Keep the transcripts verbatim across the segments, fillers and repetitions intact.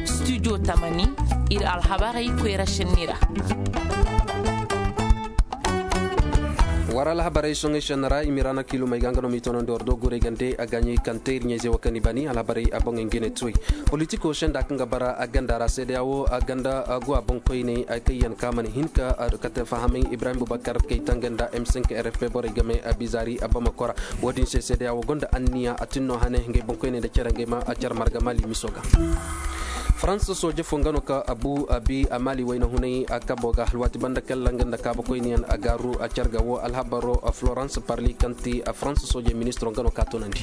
Studio tamani, ir alhabarey koyra šenni ra. War alhabarey soŋey šenni ra i ma i ra na kiilumey ga nga no m'i toonandi war do guray gande a gaaɲey kaŋ te ir ɲayzey wo kaŋ i bani alhabarey a boŋey nga i ne tuwey. Politiko senda kaŋ ga bara a ganda ra seedeya wo a ganda go a boŋ koyney kaŋ yaŋ ka mana hin ka kate fahamay ibrahim bubakar kayta nga nda m cinq rfp borey game a bizaari a bamako ra. Wo-din se seedeya wo gonda anniya a tin no hane ngey boŋ koyney nda care ngey ma a care marga mali miso ga. Farans sooje fo nga no ka abu abi a mali wayna hunay a kabo ga alwaati banda kalla nga nda kaabakoyniyaŋ a gaaru a care ga wo alhabaro florence parli kaŋ ti farans sooje ministiro nga no ka toonandi.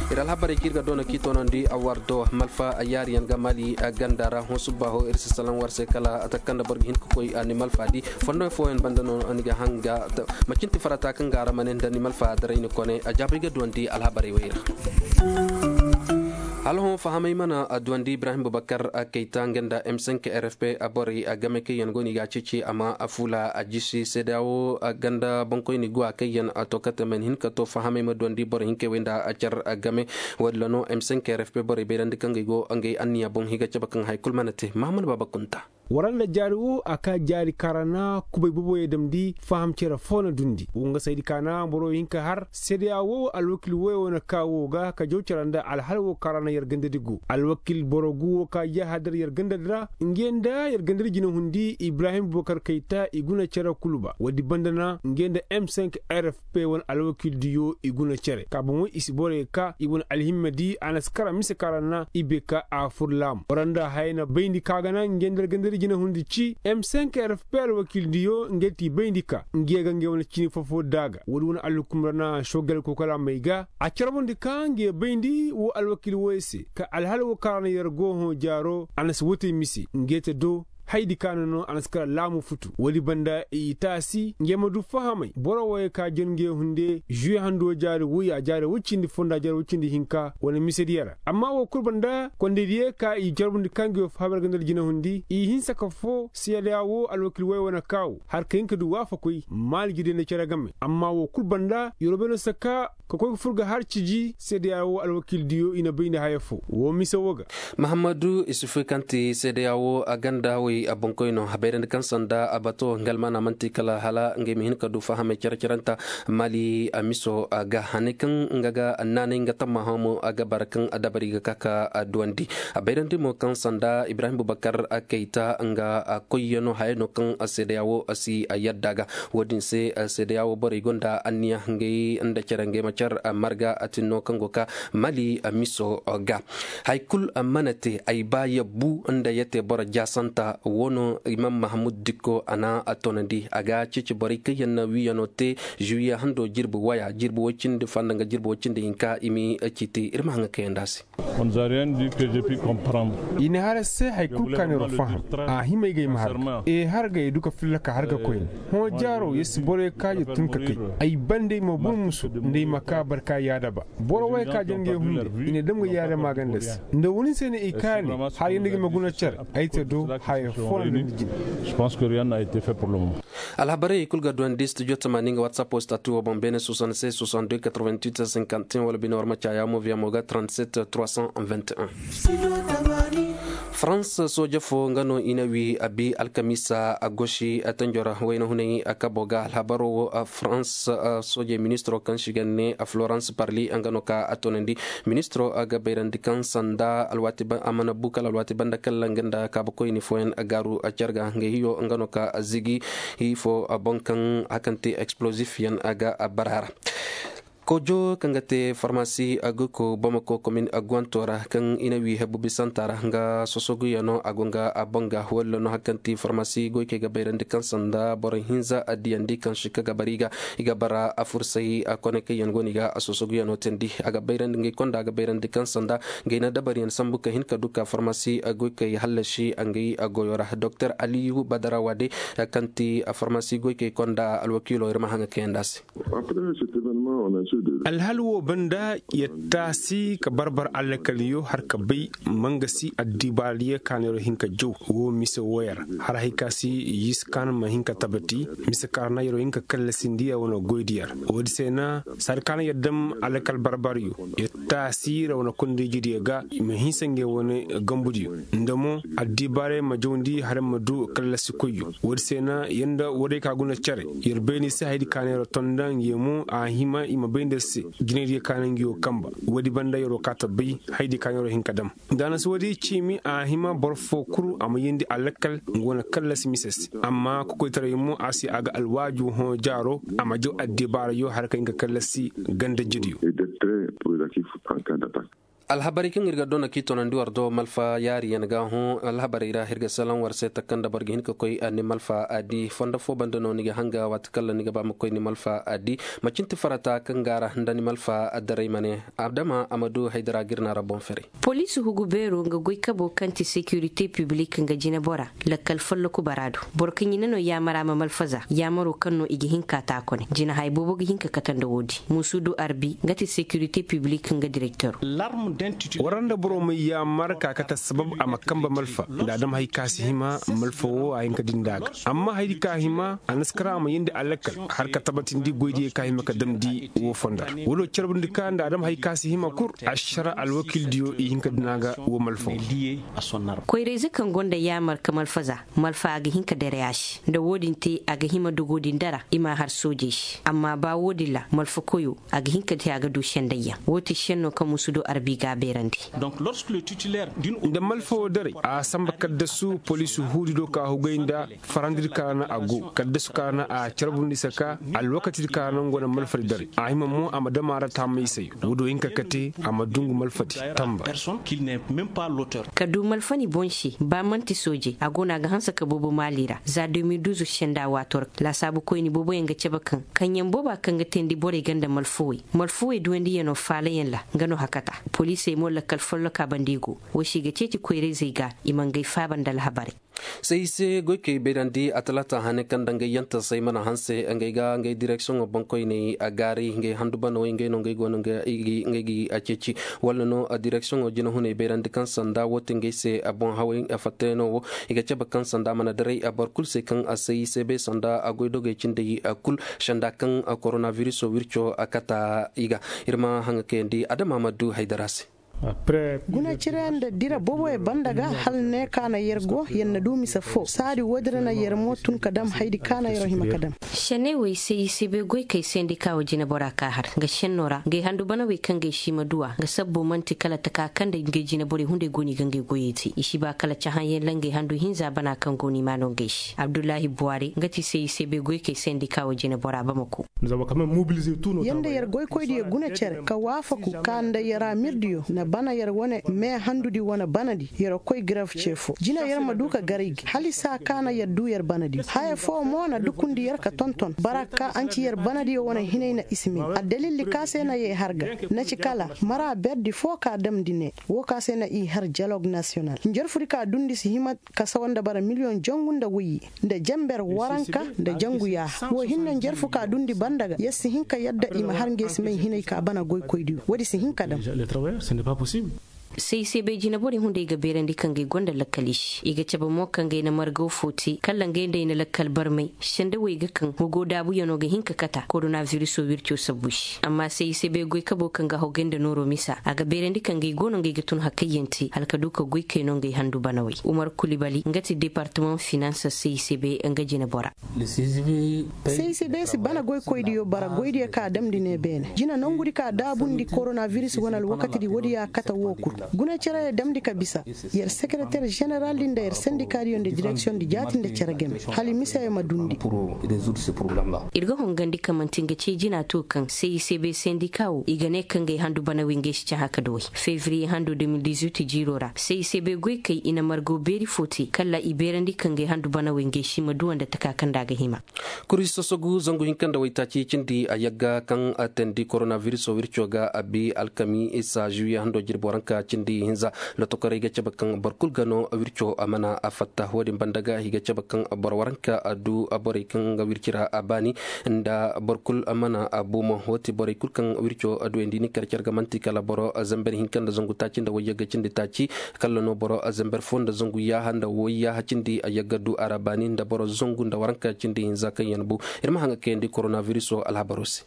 Ir alhabarey kaŋ ir ga doona k'i toonandi a war do malfa a yaariyaŋ ga mali a ganda ra hõ subba ho ir si salaŋ war se kala a taka kaŋ nda boro ga hin ka koy a ni malfa di fondo fooyaŋ banda no ni ga hanga. Macin ti farata kaŋ ga a ra ma ne nda ni malfa daray ni kone a jaabay ga duwandi alhabarey wey ra. Hala hõ fahamay mana a duwandi ibrahim bubakar a kayta nga nda m cinq rfp a borey a game kaŋ yaŋ go no i ga a ceeci a ma a fuula a jisi seedeya wo a ganda boŋkoyni go a kaŋ yaŋ a to kate man hin ka to fahamay ma duwandi boro hinkey wey nda a care a game. Wo-din ra no m cinq rfp borey bayrandi kaŋ ga ay go ngey anniya boŋ i ga cabe kaŋ hay kulu mana te mahamman baaba kunta. Waranda jaari wo a ka jaari kaŋ ra na kubay boboyey damndi faham cere fo na dundi wo nga saydi ka na boro hinka har seedeya wo alwakil woyo na ka wo ga ka jaw cere nda alhal wo kaŋ ra na yer gandadi go alwakil boro gu wo ka yahadar yer gandadi ra. Nge nda yer gandadi jina hundi ibrahim bubakar kayta i guna cere kulu ba woodi banda na nge nda m cinq rfp wane alwakil diyo i guna cere ka boŋo i si borey ka i wane alhimma di a na si kara mise kaŋ ra na i bay ka a fur laamu waranda hayey na bayndi ka ga na nge nda yer gandadi jina hundi ci m cinq rfp alwakil diyo nge ti bayndi ka nge ga nge wane cini fofo daaga woodi wane alhukum ra na sogal kokola may ga a carbundi ka nge bayndi wo alwakil woyey se ka alhal wo kaŋ ra na yer go hõ jaaro a na si wotey mise nge te do. Haydi ka no no a na si kala laamu futu woodi banda i taasi nge ma du fahamay boro woyey ka jon nge hunde žuwe hando jaari woy a jaari woy cindi fonda jaari woy cindi hinka wane misediya ra amma wo kulu banda kondaydiyey ka i carbundi ka nge wo fahamay ra ganda ra jina hundi i hinsa ka fo seedeya wo alwakil woyey wane kaawo har ka hin ka du waafakoy maali jidey nda cere game amma wo kulu banda yerobey no saka ka koy ga fur ga har ciji seedeya wo alwakil diyo i na bay nda haya fo wo mise wo ga. Mahammadu isufu kaŋ ti seedeya wo a ganda wey a boŋkoy no a bayrandi kaŋ sanda a bato nga almaana man'ti kala hala ngey ma hin ka du fahamey care caranta mali a miso ga hanay kaŋ nga ga naanay nga tammaha mo a ga bara kaŋ a dabari ga ka ka a duwandi. A bayrandi mo kaŋ sanda ibrahim bubakar a kayta nga a koyyano haya no kaŋ seedeya wo a si a yadda ga. Wo-din se seedeya wo borey gonda anniya ngey nda care ngey ma care marga a tin no kaŋ go ka mali miso ga. Hay kulu mana te ay ba yabbu nda ya te boro jaasanta wo no imam mahamud dikko a na a toonandi a ga ceeci borey kaŋ yaŋ na wiiyano te. Zuwiya hando jirbi waya jirbi woy cindi fanda nga jirbi woy cindi hinka i ma ciiti ir ma haŋa kayandi a se. I na har se hari kulu ka no yer faham a hima ay ga ay ma har ga e har ga ay du ka filla ka har ga koyne. Hõ jaaro yer si boro ye ka yer tun ka kay ay bande ay ma bun musu nda ay ma ka barka yaadaba. Boro wo ye ka jar nga ay hunde i na dam ga yaadama ga nda se nda wani se ne i kaani. Har yanda ga ay ma guna care ay te do haya fo na nda jine. Alhabarey i kulu ga duwandi studio tamaani nga whatsapp wo statu wo boŋ beene soixante-seize soixante-deux quatre-vingt-huit cinquante et un wala bine war ma caaya mo via mo ga trente-sept trois cent vingt et un. Farans sooje fo nga no i na wi a bi alkamiisa a gosi a tanjo ra wayna hunay a kabo ga alhabaro wo. Farans soojey ministiro kaŋ si ga ne florence parli nga no ka a toonandi. Ministiro ga bayrandi kaŋ sanda a mana bu kala alwaati banda kalla nga nda kaabakoyni fooyaŋ gaaru care ga nga hiyo nga no ka zigi. Hii fo boŋ kaŋ hakanti explosif yaŋ ga bara ra. Kojo kaŋ ga te farmasi goyko bamako komin aguwanto ra kaŋ i na wi hebu bisanta ra nga sosoguyaŋo a go nga a banga walla no hari kaŋ ti farmasi goykey ga bayrandi kaŋ sanda boro hinza a diyandi kaŋ si ka ga bari ga i ga bara a fursay a kone kaŋ yaŋ go no i ga a sosoguyaŋo teendi a ga bayrandi ngey konda a ga bayrandi kaŋ sanda ngey na dabariyaŋ sambu ka hin ka du ka farmasi goykey hallasi ngey goyo ra doktor aliyu badara wade kaŋ ti farmasi goykey konda alwakiilo ir ma haŋa kayandi a se. Alhal wo banda, yer taasi ka barbar alakaliyo har ka bay, mangasi addibaariyo ka no yer hin ka jaw wo mise wo yer, har hay ka si yis ka no ma hin ka tabati, mise ka ra na yer wo hin ka kallasindi yer wane goydi yer. Woodi se na saadi ka no yer dam alakal barbaryo, yer taasi yer wane kondayjidiyo ga, i ma hinsa ngey wane gambudiyo, nda mo addibaarey ma jawndi har yer ma du kallasikoyyo. Woodi se na yer nda woodey ka guna cere, yer bay ni se haydi ka no yer tonda ngey mo a hima i ma bay nda yer se jinaydiyo ka no ngi wo kamba. Woodi banda yer wo kaa ta bay haydi ka no yer wo hin ka dam. Nda a na si woodi ciimi a hima boro foo kul a ma yeendi a lakkal nga wane kallasi mise se. Amma kokoytaray mo a si a ga alwaaju hõ jaaro, a ma jaw addibaarayo har ka hin ka kallasi ganda jidiyo. Alhabarey kaŋ ir ga dona k'i tonandi war do malfa yaariyaŋ ga hõ. Alhabarey ra ir ga salaŋ war se taka nda boro ga hin ka koy ni malfa a di fondo foo banda no ni ga hanga waati kala ni ga ba ma koy ni malfa a di. Macin ti farata kaŋ ga a ra nda ni malfa addaray ma ne adama a ma du haydara ga ir na ra boŋ fere. Poliisi hugu beero nga goy kabo kaŋ ti sekirite piblik nga jinebora, lakkal folloku bara do. Boro kaŋ i na no yaamara ma malfaza yaamaro kaŋ no i ga hin ka taakone jinahay boobo ga hin ka kate nda woodi muusudu arbi nga ti sekirite piblik nga direktero. War nda boro ma yaamar ka kate sabab a ma kambe malfa nda a dam hay ka si hima. Malfa wo a hin ka dindi a ga amma haydi ka hima a na si kar a ma yeendi a lakkal har ka tabatindi goydiyo ka hima ka damndi wo fonda ra. Wo do carbundi ka nda a dam hay ka si hima kul ašara alwakildiyo i hin ka dina ga wo malfa wo. Koyrayze kaŋ gonda yaamar ka malfaza malfa a ga hin ka dere a se nda wo-din te a ga hima dogo din dara i m'a har soojey se amma ba wo-din ra malfakoyo a ga hin ka te a ga du sendayyaŋ. Wo ti senno kaŋ musudo arbi ga a beerandi. Nda malfa wo daray a samba kaddasu poliisi huudi do ka hugay nda farandidi ka ra na a go kaddasu ka ra na a carbundi se ka alwakatidi ka ra na nga wane malfadi daray a hima mo a ma dam a ra taamay se. Wo do hin ka kate a ma dungu malfadi tamba. Ka du malfani boŋ se ba man'ti sooje a go no a ga hanse ka boobo maali ra za deux mille douze senda waato ra laasaabu koyni booboyaŋ ga cabe kaŋ kaŋyaŋ booba kaŋ ga teendi borey ga nda malfawey malfawey duwandiyaŋo faalayaŋ ra. Nga no hakata poliisey mo lakkal folloka banda i go. Wo se i ga ceeci koyrayzey ga i ma ngey faaba nda alhabarey. Say i se goykey bayrandi a talaata hane kaŋ nda ngey yantasey mana hanse ngey ga ngey direksiyoŋo boŋkoyney a gaaray ngey handu banawey ngey no ngey go no ngey ga a ceeci walla no direksiyoŋo jinahuney bayrandi kaŋ sanda wo te ngey se boŋ hawey fattayno wo. I ga cabe kaŋ sanda mana daray boro kulu se kaŋ a say i se bay sanda goydogey cindey kulu sanda kaŋ koronabiriso wirco kata i ga. Ir ma haŋa kayandi adama ma du haydara se. Guna cire nda dira boboy banda ga hal ne ka na yer go yer na du mise fo saadi woodin ra na yer mo tun ka dam haydi ka na yer hima ka dam. Sene wey se i se bay goy kay sendika wo jinebora ka har nga senno ra ngey handu bana wey kaŋ gay si ma duwa nga sabbo man'ti kala taka kaŋ nda ngey jineborey hunday go no i ga ngey goyey te i si ba kala cahaŋ yaŋ ra ngey handu hinza bana kaŋ go no i ma no ngey se abdullahi buwari nga ti se i se bay goy kay sendika wo jinebora bamako. Yer nda yer goykoydiyo guna cere ka waafaku ka nda yer amirdiyo na bana yer wane me handudi wane banadi yer koy gref ce fo jina yer ma du ka gar i ga hala i saa ka na yer du yer banadi haya fo mo na dukundi yer ka tonton bara ka anci yer banadiyo wane hinay na i si may addalilli ka se na yee har ga na ci kala mara berdi fo ka damndi ne. Woo ka se na i har dialog nasiyonal njarfudi ka dundi si hima ka sawa nda bara miliyoŋ jangu nda woyye nda jenber waranka nda jangu yaaha woo hinne njarfu ka dundi banda ga yer si hin ka yadda i ma har ngey si may hinay ka bana goykoydiyo woodi si hin ka dam. Say i se bay jineborey hunday ga beerandi kaŋ gay gonda lakkal i se i ga cabe mo kaŋ gay na margaw fo te kala ngey nda ay na lakkal barmay sendawey ga kaŋ hugo daabuyano ga hin ka kata koronabiriso wirco sabbu se amma say i se bay goykabo kaŋ ga hogay nda nooro misa a ga beerandi kaŋ gay go no ngey ga tun hakayyaŋ te hala ka du ka goykay no ngey handu banawey umar kulibali nga ti departamaŋ finans say i se bay nga jinebora. Say i se bay si bana goykoydiyo bara goydiyo ka damndi ne beene jina nongudi ka daabundi koronabiris wane alwakatidi woodi ya kate woo kul guna cere ya damndi ka bisa yer sekereter jeneraldi nda yer sendikadiyo nda direksiyonndi jaati nda cere game hala i mise ya ma dundi. Ir ga hongandi ka man'ti nga cee jina to kaŋ say i se bay sendika woo i ga ne kaŋ gay handu banawey ngey si cahã ka dawey fevriye hando deux mille dix-huit jiiro ra say i se bay goykey i na margo beeri fo te kala i beerandi kaŋ gay handu banawey ngey si ma duwa nda taka kaŋ nda a ga hima. Kuri sosogu zangu hinka nda waytaaci cindi a yagga kaŋ a teendi koronabiriso wirco ga a bi alkamiisa žuwiye hando jirbi waranka. cindi hinza. Lotokorey ga cabe kaŋ boro kul ga no wirco mana fatta wo- din banda ga i ga cabe kaŋ boro waranka du borey kaŋ ga wirci ra a baani nda boro kul mana bumo wo- ti borey kul kaŋ wirco duwandi ni kar care ga man'ti kala boro zamber hinka nda zangu taaci nda wayyagga cindi taaci. Kala no boro zamber fo nda zangu yaaha nda wayyaaha cindi yagga du a ra baani nda boro zangu nda waranka cindi hinza kaŋ yaŋ bu. Ir ma haŋ ga kayandi koronaviruso alhabaro se.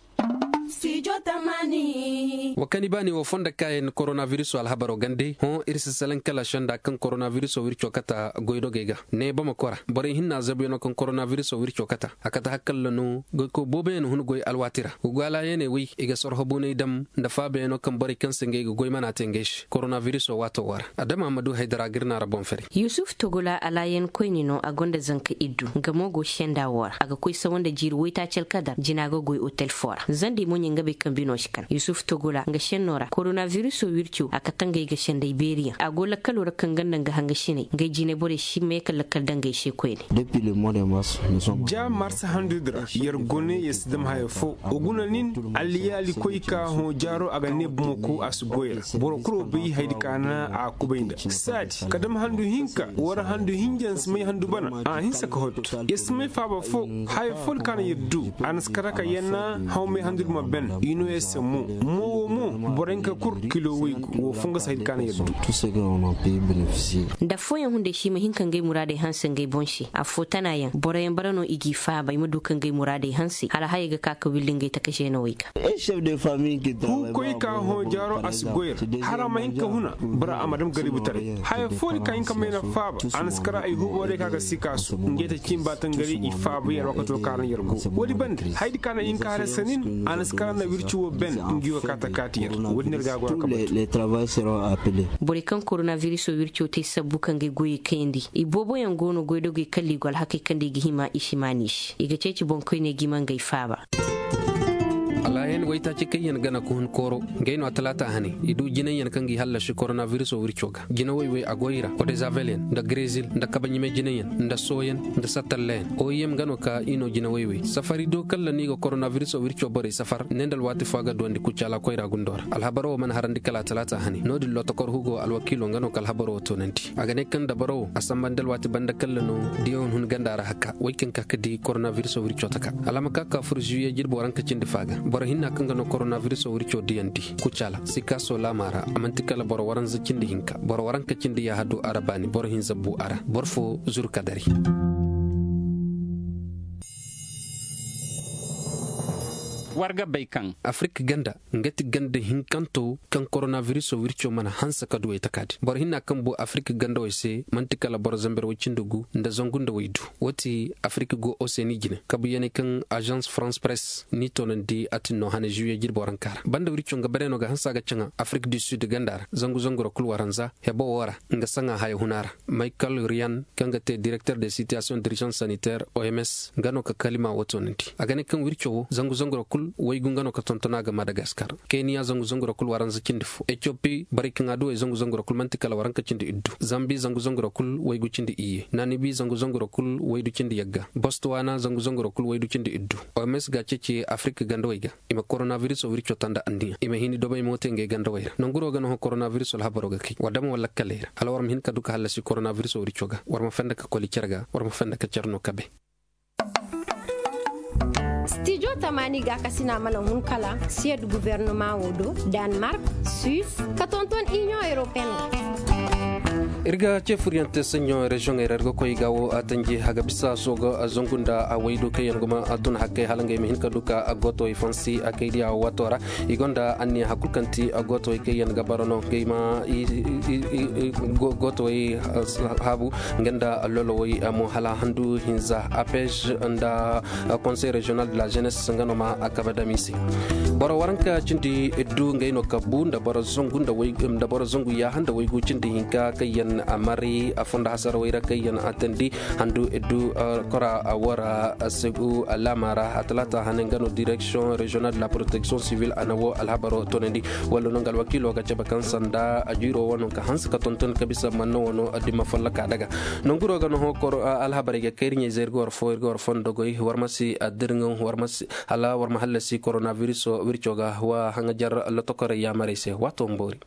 Wa kani baani wo fondo kaayaŋ koronaviruso alhabaro gande hõ ir si salaŋ kala senda kaŋ koronaviruso wirco kata goydogey ga ne bamako ra borey hinna zabuyaŋo kaŋ koronaviruso wirco kata a kata hakkalla no goykoy booboyaŋ hun goy alwaati ra. Goy alaayaney wey i ga sorho buney dam nda faabayaŋo kaŋ borey kaŋ se ngey ga goy mana te ngey se koronaviruso waato wo ra. Adama ma du haydara ga ir naara boŋ fari. Yusuf togola alaayan koyne no a gonda zanka iddu nga mo go senda wo ra a ga koy sawa nda jiiri waytaaci alkadar jina ga goy otel fo ra zandi moɲe nga bay kaŋ bino si kan yusuf togola nga senno ra koronaviruso wirco a kata ngey ga senday beeriyaŋ a go lakkalo ra kaŋ ganda nga hangasiney ngey jine borey si meeka lakkal da ngey se koyne. Ja mars handu dira yer gone yer si dam haya fo. Wa guna nin alliyaali koy ka hõ jaaro a ga ne bumako a si goy ra. Boro kuro bay haydi ka na a kubay nda saadi ka dam handu hinka wara handu hinja nsi may handu bana a hinsa ka hotto. Yer si may faaba fo haya fo di ka na yer du a na si kata ka yanna haw may handu di ma ben i no yer se mo. Mo wo mo boro hinka kul kilo waygu wo fo nga si haydi ka na yer du. Nda fooyaŋ hunday se i ma hin ka ngey muraadey hanse ngey boŋ se affoo tanayaŋ boroyaŋ bara no i g'i faaba i ma du ka ngey muraadey hanse hala hayey ga ka ka willi ngey taka zeenawey ga. Huukoy ka hõ jaaro a si goy ra hara ma hin ka huna boro a ma dam garibitaray haya foo di ka hin ka mayna faaba a na si kara ay huuboorey ka ga si kaasu ngey ta cin ba tangari i faaba yer wakato ka ra yer go. Woodi bande haydi ka na hin ka hara sanin a na si kara nda wirci wo ben ngi wo ka ta kaati yer. Woodi no ir ga a go ra ka batu. Borey kaŋ koronaviruso wirco te sabbu ka ngey goyey kayandi i booboyaŋ go no goydogey kalli go alhakey kaŋ da i ga hima i si maani se i ga ceeci boŋkoyney ga i ma ngey faaba. Alaayan waytaaci kaŋ yaŋ gana ka hun kooro ngey no a talaata hane i du jinayyaŋ kaŋ ga i hallasi koronaviruso wirco ga jinawey wey a goy ra kodezavelyaŋ nda grezil nda kabaɲime jinayyaŋ nda sooyaŋ nda sattallayaŋ oim ga no ka i no jinawey wey safari do kalla no i ga koronaviruso wirco borey safar ne nda alwaati fo a ga duwandi kucaala koyra gundo ra alhabaro wo mana harandi kala a talaata hane no- din lotokor hugo alwakiilo nga no ka alhabaro wo toonandi a ga ne kaŋ dabaro wo a sambandi alwaati banda kalla no diyaŋ hun ganda ra haka wey kaŋ ka ka di koronaviruso wirco taka alama ka ka fur zuwiye jirbi waranka cindi fa ga boro hinna kaŋ ga no koronaviruso wirco diyandi kucaala sikaaso laama ra a man'ti kala boro waranza cindi hinka boro waranka cindi yaaha du a ra baani boro hinza bu a ra boro fo zuru ka dari. War ga bay kaŋ afirik ganda nga ti ganda hinkanto kaŋ koronaviruso wirco mana hanse ka duwey taka din boro hinna kaŋ bu afirik gandawey se man'ti kala boro zamber way cindi gu nda zangu nda waydu wo ti afirik go oseni jine kabuyaney kaŋ azans farans press n'i toonandi a tin no hane zuwiye jirbo ranka ra banda wirco nga bare no ga hanse a ga caŋa afirik du sud ganda ra zangu zangu ra kul waranza hebo wo ra nga saŋa haya huna ra. Maykal riyan kaŋ ga te direkter de sitiyasiyoŋ dirizans saniter oms nga no ka kalima wo toonandi a ga ne kaŋ wirco wo zangu zangu ra kul waygu nga no ka tonton a ga madagaskar keniya zangu zangu ra kul waranza cindi fo etiyopi borey kaŋ a duwey zangu zangu ra kul man'ti kala waranka cindi iddu zambi zangu zangu ra kul waygu cindi iyye nanibi zangu zangu ra kul waydu cindi yagga bostuwana zangu zangu ra kul waydu cindi iddu oms ga a ceeci afirik gandawey ga i ma koronaviruso wirco tanda anniya i ma hini dobay mo te ngey gandawey ra nanguro ga no hõ koronaviruso alhabaro ga kay war dama wala kaley ra hala war ma hin ka du ka hallasi koronaviruso wirco ga war ma fenda ka koli care ga war ma fenda ka care no kabe. Stijo tamaani ga kasina mana hun kala siyad guvernoma wo do, danmark, suis, ka tonton inion europeen. Ir ga cefuriyante sanɲo reziyoŋey ra ir ga koy ga wo a tanji a ga bisa sooga zangu nda a waydu kaŋ yaŋ guma a tun hakkey hala ngey ma hin ka du ka a gootowey fansi a kay diya waato ra. I gonda anniya hakul kaŋ ti a gootowey kaŋ yaŋ ga bara no ngey ma gootowey haabu nga nda lolowey mo hala handu hinza apej nda konsey reziyonal de la jenes nga no ma a kabe dam i se. Boro waranka cindi iddu ngey no kabbu nda boro zangu nda boro zangu yaaha nda waygu cindi hinka kaŋ yaŋ a mari a fondo hasarawey ra kaŋ yaŋ a tandi handu iddu kora wara segu laama ra a talaata hane nga no direksiyoŋ reziyonal de la proteksiyoŋ sivil a na wo alhabaro toonandi. Walla no nga alwakiilo ga cabe kaŋ sanda a jiiro wano ka hanse ka tonton ka bisa manna wano dimma folloka daga nanguro ga no hõ koro alhabarey ga kay ir ɲayzey ir ga war fo ir ga war fondo goy war ma si addirŋaŋ war ma si hala war ma hallasi koronaviruso wirco ga wa haŋajar lotokorey yaamarey se waato ma boori.